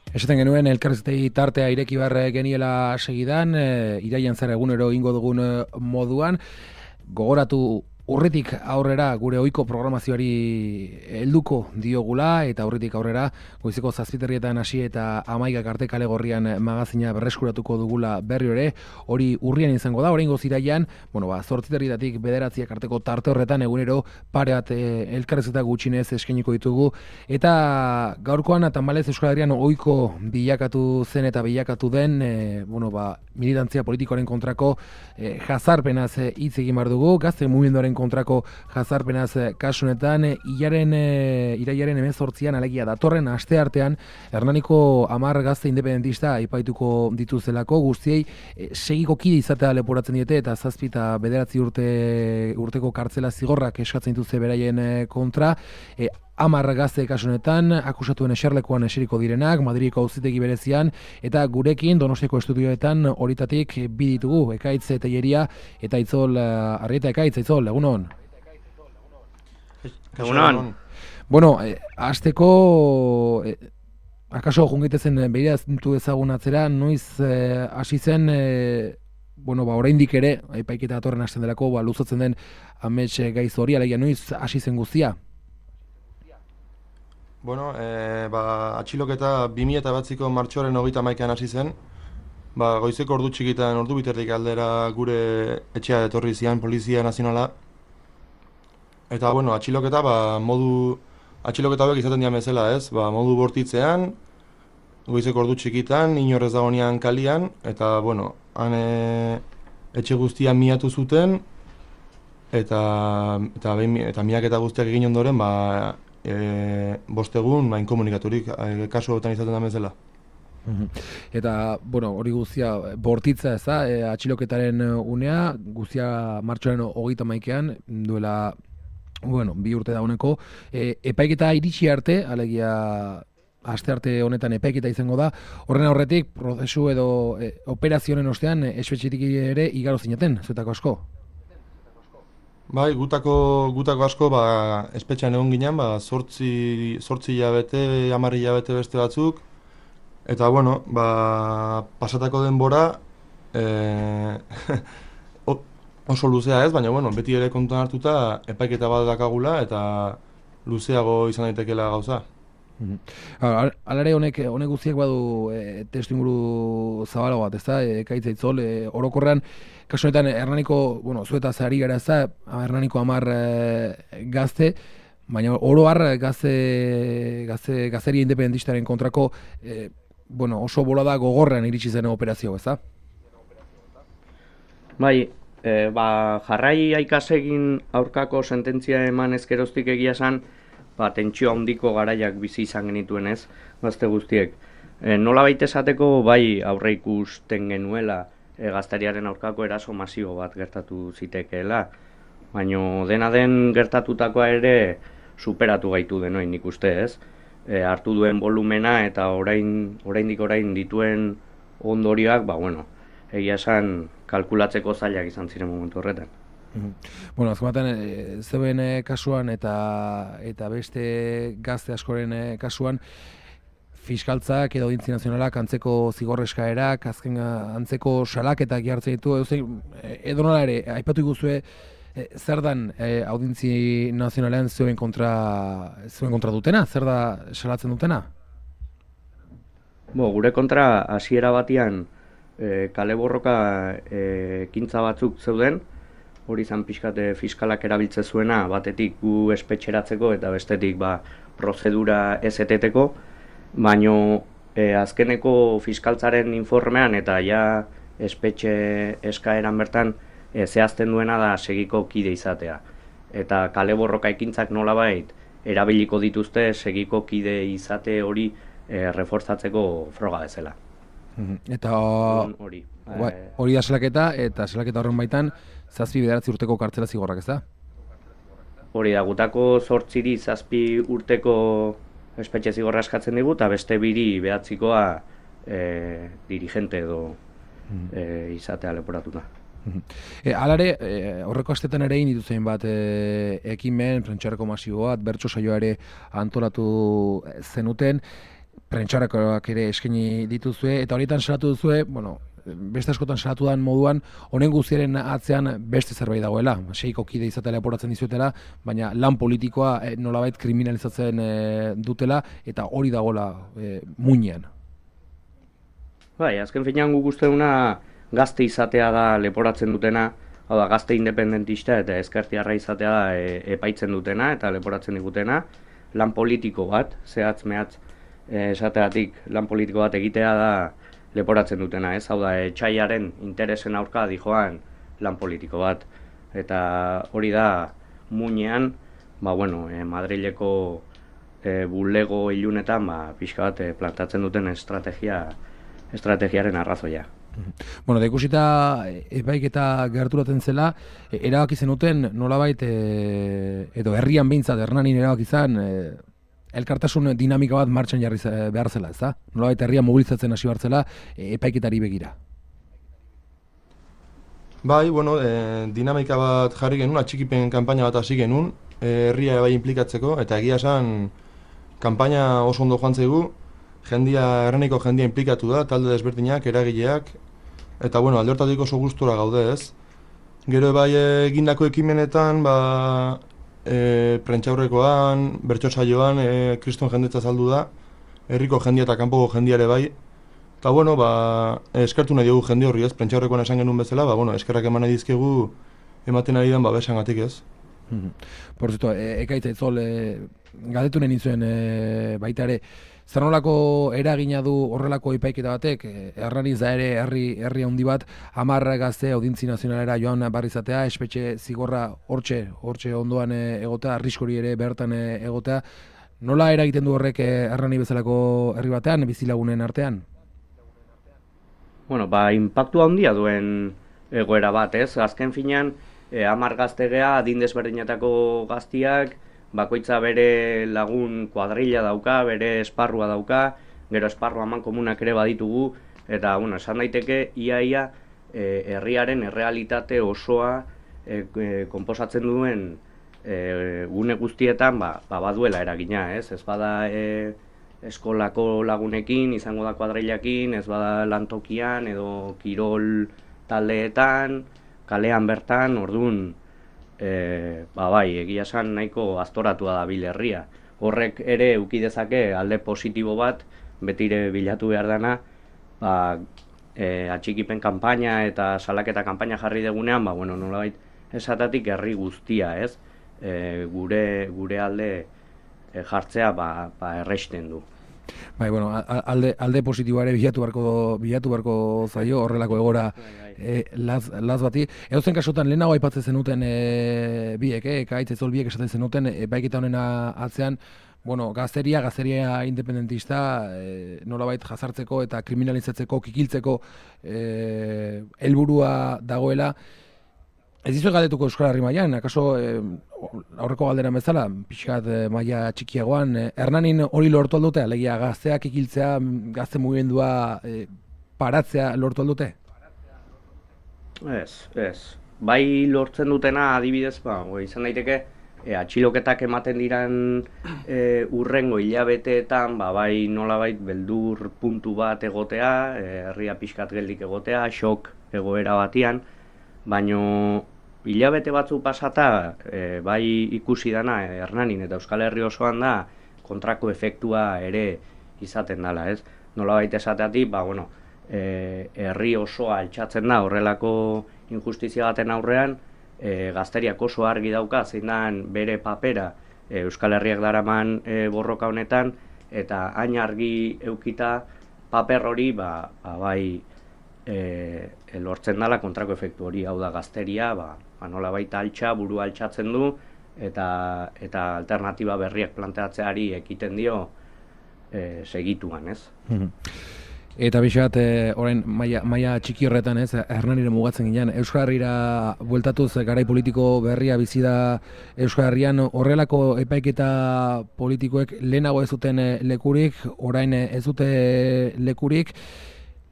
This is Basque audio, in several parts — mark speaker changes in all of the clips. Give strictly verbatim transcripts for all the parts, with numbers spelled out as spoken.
Speaker 1: Esaten genuen elkarrizketei tartea ireki behar geniela segidan, e, iraian zara egunero ingo dugun e, moduan, gogoratu urritik aurrera gure ohiko programazioari helduko diogula, eta urritik aurrera goizeko zazpiterrietan hasi eta amaikak arte kale gorrian magazina berreskuratuko dugula berri ere, hori urrian izango da, oraingoz iraian, bueno, ba, zortziterrietatik bederatziak arteko tarte horretan egunero pare bat e, elkarrizketa gutxinez eskainiko ditugu, eta gaurkoan tamalez Euskal Herrian ohiko bilakatu zen eta bilakatu den, e, bueno, ba, militantzia politikoaren kontrako e, jazarpenaz hitz egin behar dugu, gazte mugimenduaren kontrako jazarpenaz kasunetan, ilaren, e, iraiaren hemezortzian alegia datorren asteartean Hernaniko hamar gazte independentista aipaituko dituzelako, guztiei e, segiko kide izatea leporatzen diete eta zazpi eta bederatzi urte, urteko kartzela zigorrak eskatzen dituzte beraien kontra, e, hamar gazte kasunetan, akusatuen eserlekuan eseriko direnak, Madridiko auzitegi berezian, eta gurekin Donostiako estudioetan horitatik bi ditugu, Ekaitz Telleria eta Itzol, uh, Arrieta Ekaitz, Itzol, egunon.
Speaker 2: Egunon.
Speaker 1: Bueno, eh, azteko, eh, akaso jungitezen behiraztu ezagun atzera, noiz eh, hasi zen, eh, bueno, ba, oraindik ere, epaiketa datorren hasten delako, ba, luzatzen den amets gaiz hori, alegia noiz hasi zen guztia?
Speaker 3: Bueno, e, ba, atxiloketa bi mila bederatziiko martxoaren hogeita hamaikan hasi zen. Ba, goizeko ordu txikitan, ordu biterrik aldera gure etxea etorri zian Polizia Nazionala. Eta, bueno, atxiloketa, ba, modu, atxiloketa hauek izaten dian bezala, ez? Ba, modu bortitzean, goizeko ordu txikitan, inorrez dagoenean kalian, eta, bueno, han e, etxe guztian miatu zuten, eta, eta, behin, eta miaketa guztiak egin ondoren, ba, E, bostegun main komunikaturik e, kasu hauetan izaten da bezala.
Speaker 1: Eta, bueno, hori guztia bortitza ez da, e, atxiloketaren unea, guztia martxoaren hogeita maikean, duela, bueno, bi urte dauneko, e, epaiketa iritsi arte, alegia aste arte honetan epaiketa izango da, horren aurretik, prozesu edo e, operazioen ostean, e, espetxetik ere igaro zineten, zuetako asko?
Speaker 3: Bai, gutako, gutako asko, ba, espetxean egon ginen, ba, sortzi, sortzi hilabete, hamar hilabete beste batzuk, eta, bueno, ba, pasatako denbora, e, oso luzea ez, baina, bueno, beti ere kontuan hartuta, epaiketa bat dakagula, eta luzeago izan daitekeela gauza.
Speaker 1: Alare honek, honek guztiak badu e, testu inguru zabalo bat, ez da, e, Ekaitz Itzol, e, orokorrean, kasu honetan Hernaniko, bueno, zuetaz ari gara ez da, Hernaniko hamar e, gazte, baina oro har gazte, gazte, gazteria independentistaren kontrako, e, bueno, oso bolada gogorrean iritsi zen operazio, ez da?
Speaker 2: Bai, e, ba, jarrai aikasegin aurkako sententzia eman ezkeroztik egia esan, ba, tentsio handiko garaiak bizi izan genituen ez, gazte guztiek. E, nola baita esateko, bai aurre ikusten genuela e, gazteriaren aurkako eraso masio bat gertatu zitekeela, baina dena den gertatutakoa ere superatu gaitu denoin ikuste ez. E, hartu duen volumena eta orain, oraindik orain dituen ondorioak, ba, bueno, egia esan kalkulatzeko zailak izan ziren momentu horretan.
Speaker 1: Bueno, azkomaten, e, zeuen e, kasuan eta eta beste gazte askoren e, kasuan, fiskaltzak edo Audientzia Nazionalak antzeko zigorreskaerak, azken antzeko salaketak jartzen ditu, edo nola ere, aipatu iguzue, e, zer dan e, Audientzia Nazionalean zeuen kontra, zeuen kontra dutena? Zer da salatzen dutena?
Speaker 2: Bo, gure kontra hasiera batian e, kale borroka e, ekintza batzuk zeuden, hori izan pixkate fiskalak erabiltze zuena, batetik gu espetxeratzeko eta bestetik ba, prozedura ez eteteko, baino e, azkeneko fiskaltzaren informean eta ja espetxe eskaeran bertan e, zehazten duena da segiko kide izatea. Eta kale borroka ekintzak nolabait erabiliko dituzte segiko kide izate hori e, reforzatzeko froga bezala.
Speaker 1: Eta
Speaker 2: hori
Speaker 1: hori da salaketa, eta salaketa horren baitan zazpi bederatzi urteko kartzela zigorrak, ez da?
Speaker 2: Hori da, gutako zortziri zazpi urteko espetxe zigorra eskatzen digu, eta beste biri behatzikoa e, dirigente edo e, izatea leporatuta.
Speaker 1: E, alare, e, horreko astetan ere egin dituzen bat e, ekimen, prentxareko masio bat, bertso saioa ere antolatu zenuten. prentxarakoak ere eskaini dituzue, eta horietan salatu duzue, bueno, beste askotan salatu dan moduan, honen guztiaren atzean beste zerbait dagoela. Seiko kide izatela leporatzen dizuetela, baina lan politikoa e, nolabait kriminalizatzen e, dutela, eta hori dagoela e, muinean.
Speaker 2: Bai, azken finean guk uste duna gazte izatea da leporatzen dutena, hau da, gazte independentista eta ezkertiarra izatea da e, epaitzen dutena eta leporatzen digutena, lan politiko bat, zehatz mehatz e, esateatik lan politiko bat egitea da leporatzen dutena, ez? Hau da, etxaiaren interesen aurka dijoan lan politiko bat. Eta hori da, muinean, ba, bueno, e, Madrileko e, bulego ilunetan, ba, pixka bat e, plantatzen duten estrategia, estrategiaren arrazoia.
Speaker 1: Bueno, da ikusita epaiketa gerturatzen zela, e, erabaki zenuten nolabait, e, edo herrian behintzat, Hernanin erabaki zen, e, elkartasun dinamika bat martxan jarri behar zela, ez da? Nolabait herria mobilizatzen hasi behar zela epaiketari begira.
Speaker 3: Bai, bueno, e, dinamika bat jarri genuen, atxikipen kanpaina bat hasi genuen, e, herria bai implikatzeko, eta egia esan kanpaina oso ondo joan zaigu, jendia, Hernaniko jendia implikatu da, talde desberdinak, eragileak, eta bueno, alde hortatik oso gustura gaude, ez? Gero bai egindako ekimenetan, ba, E, prentxaurrekoan, bertso saioan, e, kriston jendetza saldu da, herriko jendia eta kanpoko jendiare bai. Eta bueno, ba, eskertu nahi dugu jende horri ez, prentxaurrekoan esan genuen bezala, ba, bueno, eskerrak eman nahi dizkegu ematen ari den babesangatik ez.
Speaker 1: Por cierto, e, ekaitza itzol, e, galdetu nahi nintzuen e, baita ere, zer nolako eragina du horrelako epaiketa batek, Hernaniz da ere herri herri handi bat, hamar gazte audintzi nazionalera joan barrizatea, espetxe zigorra hortxe, hortxe ondoan egotea, arriskori ere bertan egotea. Nola eragiten du horrek Hernani bezalako herri batean, bizilagunen artean?
Speaker 2: Bueno, ba, inpaktu handia duen egoera bat, ez? Azken finean, hamar gaztegea, adin desberdinetako gaztiak, bakoitza bere lagun kuadrilla dauka, bere esparrua dauka, gero esparru haman komunak ere baditugu, eta, bueno, esan daiteke, iaia e, herriaren errealitate osoa e, e, konposatzen duen e, gune guztietan, ba, ba, baduela eragina, ez? Ez bada e, eskolako lagunekin, izango da kuadrillakin, ez bada lantokian, edo kirol taldeetan, kalean bertan, orduan, E, ba bai, egia esan nahiko aztoratua da bil herria. Horrek ere eduki dezake alde positibo bat, betire bilatu behar dana, ba, e, atxikipen kanpaina eta salaketa kanpaina jarri degunean, ba, bueno, nolabait esatatik herri guztia, ez? E, gure, gure alde e, jartzea ba, ba erresten du.
Speaker 1: Bai, bueno, alde, alde positiboa ere bilatu beharko, bilatu beharko zaio horrelako egora e, laz, laz bati. Edozen kasutan lehenago aipatzen zenuten e, biek, e, ekaitz ezol biek esaten zenuten, e, baiketa honena atzean, bueno, gazteria, gazteria independentista, e, nolabait jazartzeko eta kriminalizatzeko, kikiltzeko e, helburua dagoela. Ez dizu galdetuko Euskal Herri mailan, akaso eh, aurreko galderan bezala, pixkat eh, maila txikiagoan, eh, Hernanin hori lortu aldute, alegia gazteak ikiltzea, gazte mugimendua eh, paratzea lortu aldute?
Speaker 2: Ez, ez. Bai lortzen dutena adibidez, ba, izan daiteke, e, atxiloketak ematen diran e, urrengo hilabeteetan, ba, bai nolabait beldur puntu bat egotea, e, herria pixkat geldik egotea, xok egoera batian, baino hilabete batzu pasata, e, bai ikusi dana e, Hernanin eta Euskal Herri osoan da kontrako efektua ere izaten dela, ez? Nolabait esateatik, ba, bueno, e, herri osoa altxatzen da horrelako injustizia baten aurrean, e, gazteriak oso argi dauka zein dan bere papera e, Euskal Herriak daraman e, borroka honetan, eta hain argi eukita paper hori, ba, ba bai, E, e, lortzen dela kontrako efektu hori, hau da gazteria, ba, ba nola baita altxa, buru altxatzen du, eta, eta alternatiba berriak planteatzeari ekiten dio e, segituan, ez?
Speaker 1: Eta bixat, e, orain maila, maila txiki horretan, ez, Hernanire mugatzen ginen, Euskal Herrira bueltatuz garai politiko berria bizi da Euskal Herrian, horrelako epaiketa politikoek lehenago ez zuten lekurik, orain ez dute lekurik.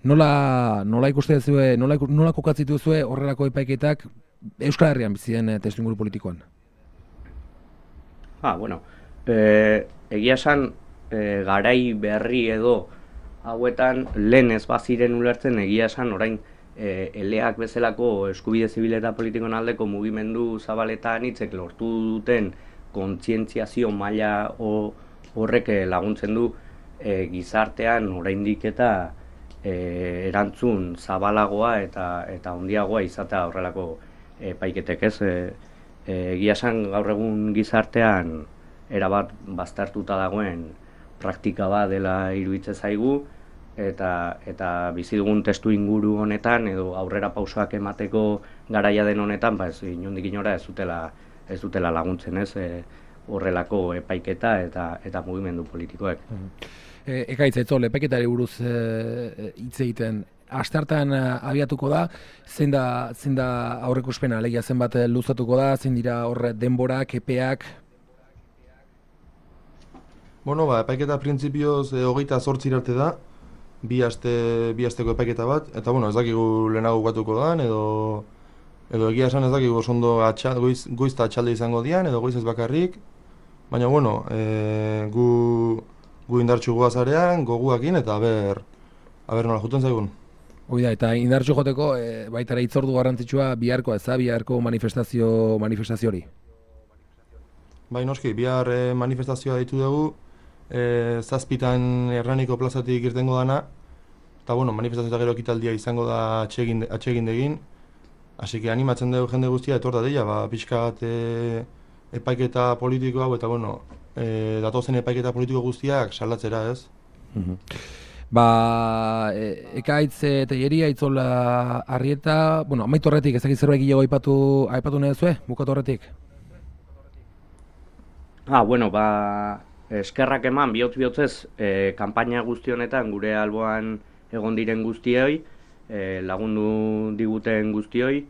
Speaker 1: Nola, nola ikuste duzue, nola, nola kokatzitu duzue horrelako epaiketak Euskal Herrian bizi den testuinguru politikoan?
Speaker 2: Ah, bueno, e, egia esan e, garai berri edo hauetan lehen ez baziren ulertzen egia esan orain e, eleak bezalako eskubide zibil eta politikoen aldeko mugimendu zabaletan hitzek lortu duten kontzientziazio maila horrek laguntzen du e, gizartean oraindik eta e, erantzun zabalagoa eta eta handiagoa izatea horrelako epaiketek, ez? E, e, egia esan gaur egun gizartean erabat baztertuta dagoen praktika bat dela iruditzen zaigu, eta eta bizi dugun testu inguru honetan edo aurrera pausoak emateko garaia den honetan, ba ez inondik inora ez dutela ez dutela laguntzen, ez? E, horrelako epaiketa eta eta mugimendu politikoek.
Speaker 1: E, Ekaitz, Etzol, epaiketari buruz hitz e, egiten asteartean abiatuko da, zein da zein da aurreikuspena, alegia zenbat luzatuko da, zein dira hor denborak, epeak?
Speaker 3: Bueno, ba, epaiketa printzipioz e, hogeita zortzi arte da, bi aste bi asteko epaiketa bat, eta bueno, ez dakigu lehenago bukatuko dan, edo edo egia esan ez dakigu osondo atxal, goiz, goiz eta atxalde izango dian, edo goiz ez bakarrik, baina bueno, e, gu, gu indartxu goazarean, goguakin, eta aber, aber nola juten zaigun.
Speaker 1: Hoi da, eta indartxu joteko, e, baitara hitzordu garrantzitsua biharko, ez da, biharko manifestazio, manifestazio hori?
Speaker 3: Bai, noski, bihar e, manifestazioa ditu dugu, e, zazpitan Hernaniko plazatik irtengo dana, eta bueno, manifestazio eta gero ekitaldia izango da atsegin, atsegindegin, hasi que animatzen dugu jende guztia etorta dela, ba, pixka bat e, epaiketa politiko hau, eta bueno, e, datozen epaiketa politiko guztiak salatzera, ez?
Speaker 1: Mm-hmm. Ba, e, Ekaitz eta Teieria, Itzola Arrieta, bueno, amaitu horretik, ez dakit zerbait gehiago aipatu, aipatu nahi zuen, bukatu horretik?
Speaker 2: Ah, bueno, ba, eskerrak eman, bihotz bihotzez, e, kanpaina guzti honetan gure alboan egon diren guztioi, e, lagundu diguten guztioi,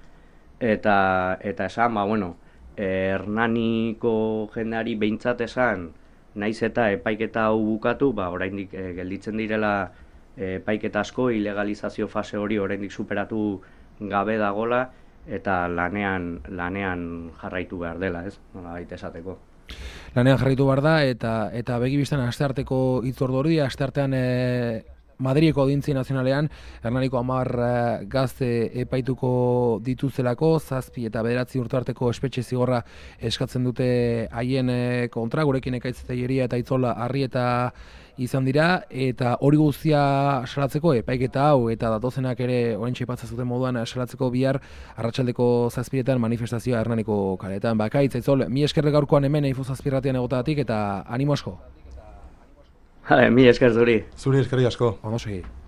Speaker 2: eta eta esan, ba, bueno, e, Hernaniko jendeari behintzat esan, naiz eta epaiketa hau bukatu, ba, oraindik e, gelditzen direla e, epaiketa asko, ilegalizazio fase hori oraindik superatu gabe dagola, eta lanean lanean jarraitu behar dela, ez? Nola baita esateko.
Speaker 1: Lanean jarraitu behar da, eta eta begibistan astearteko hitzordu hori, asteartean e, Madrileko Audientzia Nazionalean Hernaniko hamar gazte epaituko dituzelako, zazpi eta bederatzi urte arteko espetxe zigorra eskatzen dute haien kontra, gurekin Ekaitz Teieria eta Itzola Arrieta izan dira, eta hori guztia salatzeko epaiketa hau eta datozenak ere oraintxe aipatzen zuten moduan salatzeko bihar arratsaldeko zazpiretan manifestazioa Hernaniko kaletan. Ba, Ekaitz, Itzol, mi esker gaurkoan hemen Eifu Zazpirratian egotagatik eta animo asko.
Speaker 2: Mi esker zuri.
Speaker 3: Zuri eskerrik asko.
Speaker 1: Vamos a seguir.